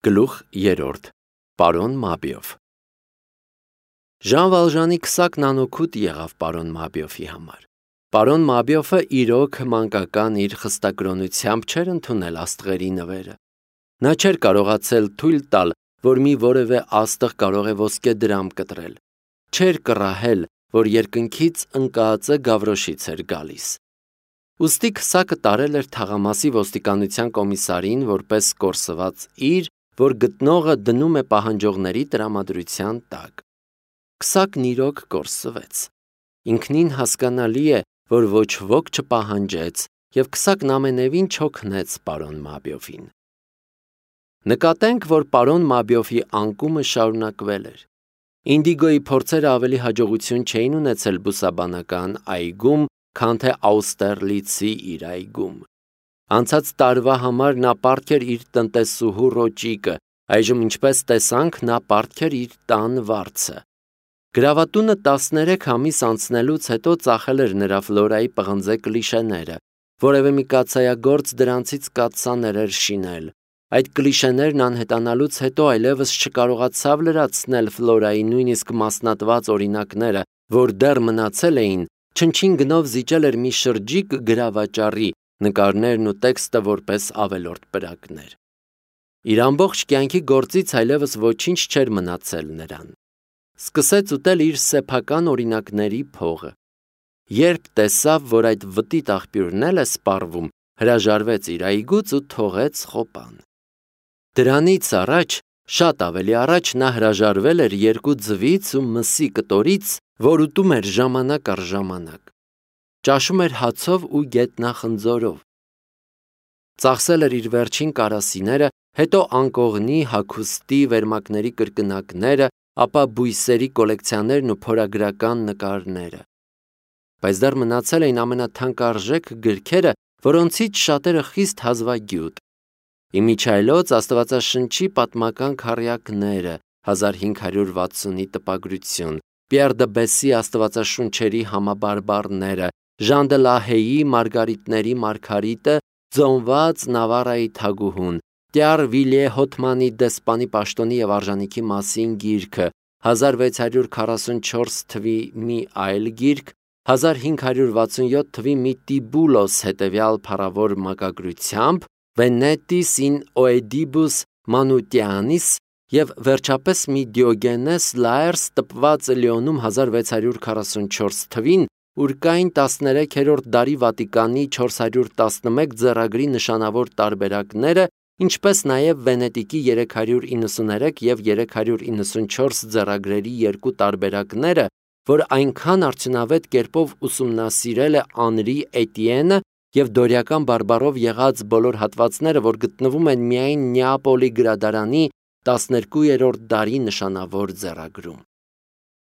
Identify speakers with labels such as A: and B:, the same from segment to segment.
A: Գլուխ 3 Պարոն Մաբիով Ժան Վալժանի քսակն անօգուտ եղավ պարոն Մաբիովի համար։ Պարոն Մաբիովը իրոք մանկական իր խստակրոնությամբ չէր ընդունել աստղերի նվերը։ Նա չէր կարողացել թույլ տալ, որ մի որևէ աստղ կարող է ոսկե դրամ կտրել։ Չէր կռահել, որ երկնքից ընկածը Գավրոշից էր գալիս։ Ուստի քսակը տարել էր թաղամասի ոստիկանության կոմիսարին որպես կորսված իր, որ գտնողը դնում է պահանջողների տրամադրության տակ։ Քսակն իրոք կորսվեց։ Ինքնին հասկանալի է, որ ոչ ոք չպահանջեց, և քսակն ամենևին չօգնեց պարոն Մաբիովին։ Նկատենք, որ պարոն Մաբիովի անկումը շարունակվել էր։ Ինդիգոյի փորձերը ավելի հաջողություն չէին ունեցել բուսաբանական այգում, քան թե Աուստերլիցի իր այգում։ Անցած տարվա համար նա պարտք էր իր տնտեսուհու Ռոճիկը, այժմ ինչպես տեսանք, նա պարտք էր իր տան վարձը։ Գրավատունը 13 ամիս անցնելուց հետո ծախել էր նրա Ֆլորայի պղնձե կլիշեները, որևէ մի կաթսայագործ դրանցից կաթսաներ էր շինել։ Այդ կլիշեներն անհետանալուց հետո այլևս չկարողացավ լրացնել Ֆլորայի նույնիսկ մասնատված օրինակները, որ դեռ մնացել էին, չնչին գնով զիջել էր մի շրջիկ գրավաճառի, նկարներն ու տեքստը որպես ավելորդ պրակներ։ Իր ամբողջ կյանքի գործից այլևս ոչինչ չէր մնացել նրան։ Սկսեց ուտել իր սեփական օրինակների փողը։ Երբ տեսավ, որ այդ վտիտ աղբյուրն էլ է սպառվում, հրաժարվեց իր այգուց ու թողեց խոպան։ Դրանից առաջ, շատ ավելի առաջ նա հրաժարվել էր 2 ձվից ու մսի կտորից, որ ուտում էր ժամանակ առ ժամանակ։ Ճաշում էր հացով ու գետնախնձորով։ Ծախսել էր իր վերջին կարասիները, հետո անկողնի, հագուստի, վերմակների կրկնակները, ապա բույսերի կոլեկցիաներն ու փորագրական նկարները։ Բայց դեռ մնացել էին ամենաթանկարժեք գրքերը, որոնցից շատերը խիստ հազվագյուտ։ Իմիջիայլոց Աստվածաշնչի պատմական քառյակները, 1560-ի տպագրություն, Պիեր դը Բեսի Աստվածաշունչերի համաբարբառները, Ժան դը Լահեի Մարգարիտների Մարգարիտը, Ձոնված Նավարայի թագուհուն, Տյար Վիլիե Հոթմանի դեսպանի պաշտոնի և արժանիքի մասին գիրքը, 1644 թվի մի այլ գիրք, 1567 թվի մի Տիբուլոս հետևյալ փառավոր մակագրությամբ, Venetis in Oedibus Manutianis և վերջապես մի Դիոգենես Լաերս տպված Լիոնում 1644 թվին, ուր կային 13-րդ դարի Վատիկանի 411 ձեռագրի նշանավոր տարբերակները, ինչպես նաև Վենետիկի 393 և 394 ձեռագրերի 2 տարբերակները, որ այնքան արդյունավետ կերպով ուսումնասիրել է Անրի Էտիենը և դորիական բարբառով եղած բոլոր հատվածները, որ գտնվում են միայն Նեապոլի գրադարանի 12-րդ դարի նշանավոր ձեռագրում։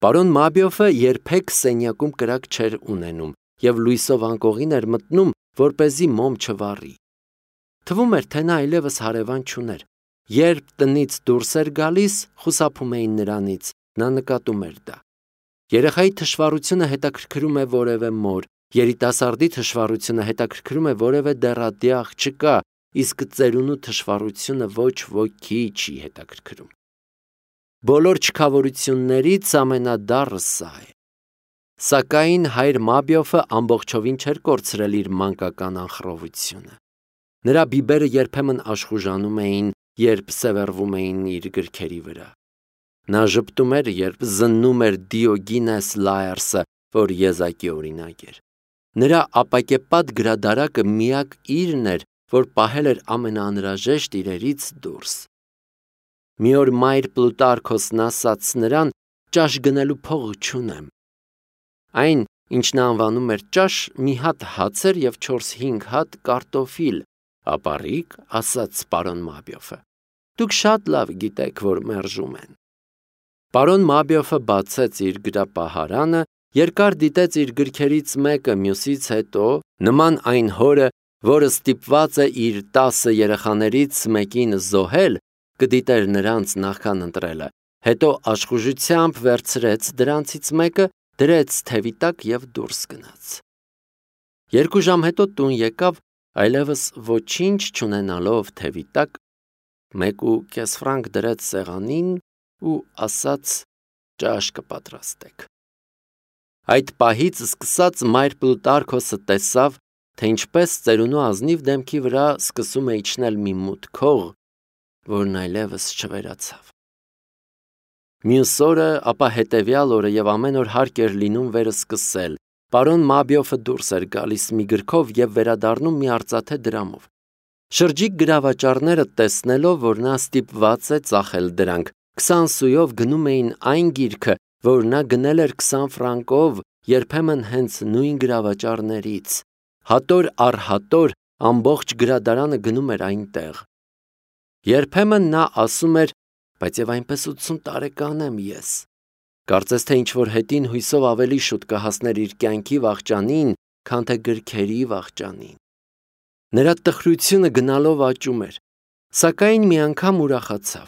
A: Պարոն Մաբիովը երբեք սենյակում կրակ չէր ունենում և լույսով անկողին էր մտնում, որպեսզի մոմ չվառի։ Թվում էր, թե նա այլևս հարևան չուներ։ Երբ տնից դուրս էր գալիս, խուսափում էին նրանից, նա նկատում էր դա։ Երեխայի թշվառությունը հետաքրքրում է որևէ մոր, երիտասարդի թշվառությունը հետաքրքրում է որևէ դեռատի աղջկա, իսկ ծերունու թշվառությունը ոչ ոքի չի հետաքրքրում։ Բոլոր չքավորություններից ամենադառը սա է։ Սակայն հայր Մաբիովը ամբողջովին չէր կորցրել իր մանկական անխռովությունը։ Նրա բիբերը երբեմն աշխուժանում էին, երբ սևեռվում էին իր գրքերի վրա։ Նա ժպտում էր, երբ զննում էր Դիոգինես Լաերսը, որ եզակի օրինակ էր։ Նրա ապակեպատ գրադարակը միակ իրն էր, որ պահել էր ամենաանհրաժեշտ իրերից դուրս։ Մի օր մայր Պլուտարքոսն ասաց նրան. «Ճաշ գնելու փող չունեմ»։ Այն, ինչ նա անվանում էր ճաշ, մի հատ հաց էր և 4-5 հատ կարտոֆիլ։ «Ապառիկ», ասաց պարոն Մաբիովը, «դուք շատ լավ գիտեք, որ մերժում են»։ Պարոն Մաբիովը բացեց իր գրապահարանը, երկար դիտեց իր գրքերից մեկը մյուսից հետո, նման այն հորը, որը ստիպված է իր 10 երեխաներից մեկին զոհել, կդիտեր նրանց նախքան ընտրելը, հետո աշխուժությամբ վերցրեց դրանցից մեկը, դրեց թևի տակ և դուրս գնաց։ 2 ժամ հետո տուն եկավ, այլևս ոչինչ չունենալով թևի տակ, 1.5 ֆրանկ դրեց սեղանին ու ասաց. «Ճաշ կպատրաստեք»։ Այդ պահից սկսած մայր Պլուտարքոսը տեսավ, թե ինչպես ծերունու ազնիվ դեմքի վրա սկսում է իջնել մի մութ քող, որն այլևս չվերացավ։ Մյուս օրը, ապա հետևյալ օրը եւ ամեն օր հարկ էր լինում վերսկսել։ Պարոն Մաբիոֆը դուրս էր գալիս մի գրքով եւ վերադառնում մի արծաթե դրամով։ Շրջիկ գրավաճառները տեսնելով, որ նա ստիպված է ծախել դրանք, 20 սույով գնում էին այն գիրքը, որ նա գնել էր 20 ֆրանկով, երբեմն հենց նույն գրավաճառներից։ Հատոր առ հատոր ամբողջ գրադարանը գնում էր այնտեղ։ Երբեմն նա ասում էր. «Բայց եւ այնպես 80 տարեկան եմ ես»։ Կարծես թե ինչ-որ հետին հույսով ավելի շուտ կհասներ իր կյանքի վախճանին, քան թե գրքերի վախճանին։ Նրա տխրությունը գնալով աճում էր, սակայն մի անգամ ուրախացավ։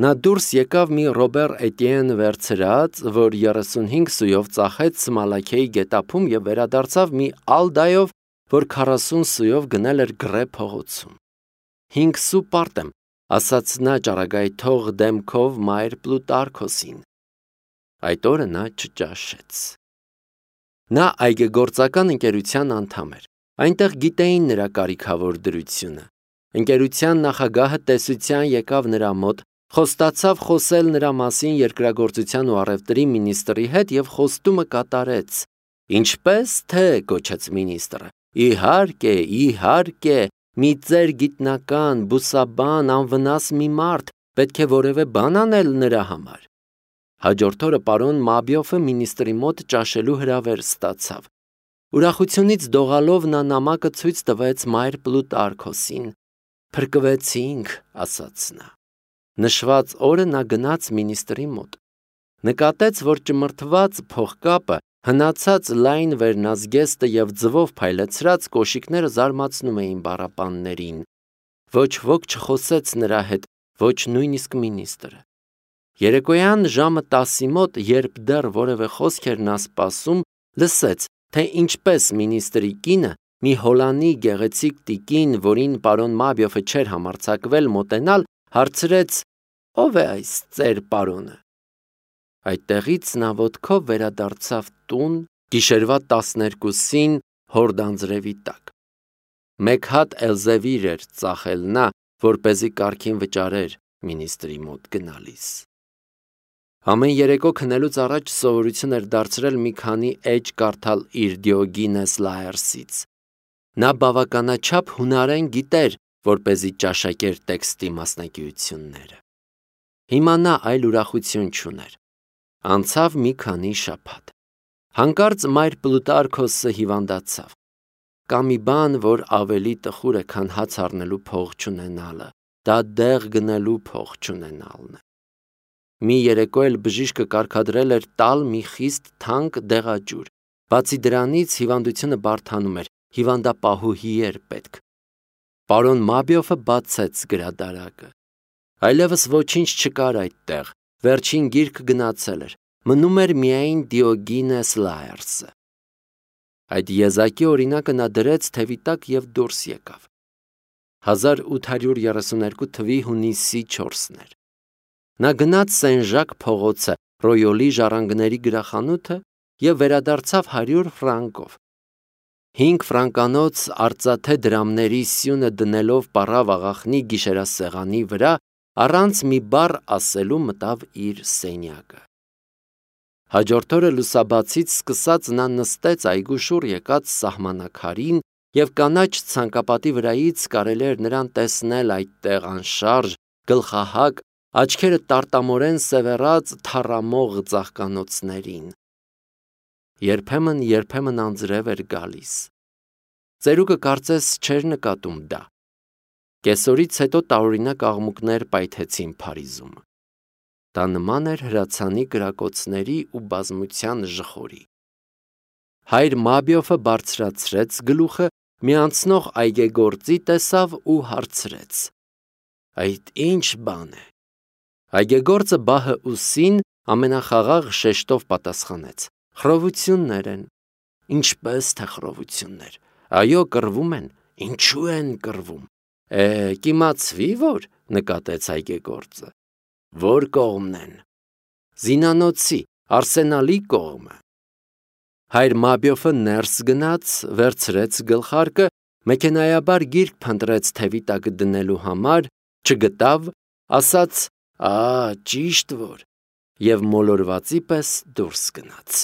A: Նա դուրս եկավ մի Ռոբեր Էտիեն վերցրած, որ 35 սույով ծախեց Սմալաքեի գետափում եւ վերադարձավ մի Ալդայով, որ 40 սույով գնել էր Գրե փողոցում։ 5 սու պարտ եմ, ասաց նա ճառագայթող դեմքով մայր Պլուտարքոսին։ Այդ օրը նա չճաշեց։ Նա այգեգործական ընկերության անդամ էր։ Այնտեղ գիտեին նրա կարիքավոր դրությունը։ Ընկերության նախագահը տեսության եկավ նրա մոտ, խոստացավ խոսել նրա մասին երկրագործության ու առևտրի մինիստրի հետ եւ խոստումը կատարեց։ Ինչպես թե, գոչեց մինիստրը։ Իհարկե, իհարկե, մի ծեր գիտնական, բուսաբան, անվնաս մի մարդ, պետք է որևէ բան անել նրա համար։ Հաջորդ օրը պարոն Մաբիոֆը մինիստրի մոտ ճաշելու հրավեր ստացավ։ Ուրախությունից դողալով նա նամակը ցույց տվեց մայր Պլուտարքոսին։ Փրկվեցինք, ասաց նա։ Նշված օրը նա գնաց մինիստրի մոտ։ Նկատեց, որ ճմրթված փողկապը, հնացած լայն վերնազգեստը եւ ձվով փայլեցրած կոշիկները զարմացնում էին բառապաններին։ Ոչ ոք չխոսեց նրա հետ, ոչ նույնիսկ մինիստրը։ Երեկոյան ժամը 10-ի մոտ, երբ դեռ որևէ խոսք էր նա սպասում, լսեց, թե ինչպես մինիստրի կինը, մի հոլանի գեղեցիկ տիկին, որին պարոն Մաբիոֆը չէր համարձակվել մոտենալ, հարցրեց. «Ո՞վ է այս ծեր պարոնը»։ Այդտեղից նա ոտքով վերադարձավ տուն, գիշերվա 12-ին հորդանձրևի տակ։ Մեկ հատ Էլզևիր էր ծախել նա, որպեսզի կարգին վճարեր մինիստրի մոտ գնալիս։ Ամեն երեկո քնելուց առաջ սովորություն էր դարձրել մի քանի էջ կարդալ իր Դիոգինես Լաերսից։ Նա բավականաչափ հունարեն գիտեր, որպեսզի ճաշակեր տեքստի մասնագիտությունները։ Հիմա նա այլ ուրախություն չուներ։ Անցավ մի քանի շաբաթ։ Հանկարծ մայր Պլուտարքոսը հիվանդացավ։ Կա մի բան, որ ավելի տխուր է, քան հաց առնելու փող չունենալը, դա դեղ գնելու փող չունենալն է։ Մի երեկո էլ բժիշկը կարգադրել էր տալ մի խիստ թանկ դեղաճյուր։ Բացի դրանից հիվանդությունը բարդանում էր, հիվանդապահուհի էր պետք։ Պարոն Մաբիոֆը բացեց գրադարակը։ Այլևս ոչինչ չկար այդտեղ, վերջին գիրք գնացել էր, մնում էր միայն Դիոգինես Լաերսը։ Այդ եզակի օրինակը նա դրեց թևի տակ և դուրս եկավ։ 1832 թվի հունիսի 4-ն էր։ Նա գնաց Սեն-Ժակ փողոցը, Ռոյոլի ժառանգների գրախանութը և վերադարձավ 100 ֆրանկով։ 5 ֆրանկանոց արծաթե դրամների սյունը դնելով պառավ աղախնի գիշերասեղանի վրա, առանց մի բառ ասելու մտավ իր սենյակը։ Հաջորդ օրը լուսաբացից սկսած նա նստեց այգու շուռ եկած սահմանակարին և կանաչ ցանկապատի վրայից կարելի էր նրան տեսնել այդտեղ անշարժ, գլխահակ, աչքերը տարտամորեն սևեռած թառամող ծաղկանոցներին։ Երբեմն անձրև էր գալիս։ Ծերուկը կարծես չէր նկատում դա։ Կեսօրից հետո տարօրինակ աղմուկներ պայթեցին Փարիզում։ Դա նման էր հրացանի կրակոցների ու բազմության ժխորի։ Հայր Մաբիոֆը բարձրացրեց գլուխը, մի անցնող այգեգործի տեսավ ու հարցրեց. «Այդ ինչ բան է»։ Այգեգործը բահը ուսին ամենախաղաղ շեշտով պատասխանեց. «Խռովություններ են»։ «Ինչպես թե խռովություններ, այո, կռվում են, ինչու են կռվում»։ Կիմացվի, որ նկատեց այգեգործը։ Որ կողմն են։ Զինանոցի, Արսենալի կողմը։ Հայր Մաբիոֆը ներս գնաց, վերցրեց գլխարկը, մեքենայաբար գիրք փնտրեց թևի տակ դնելու համար, չգտավ, ասաց. «Ա, ճիշտ որ», եւ մոլորվածի պես դուրս գնաց։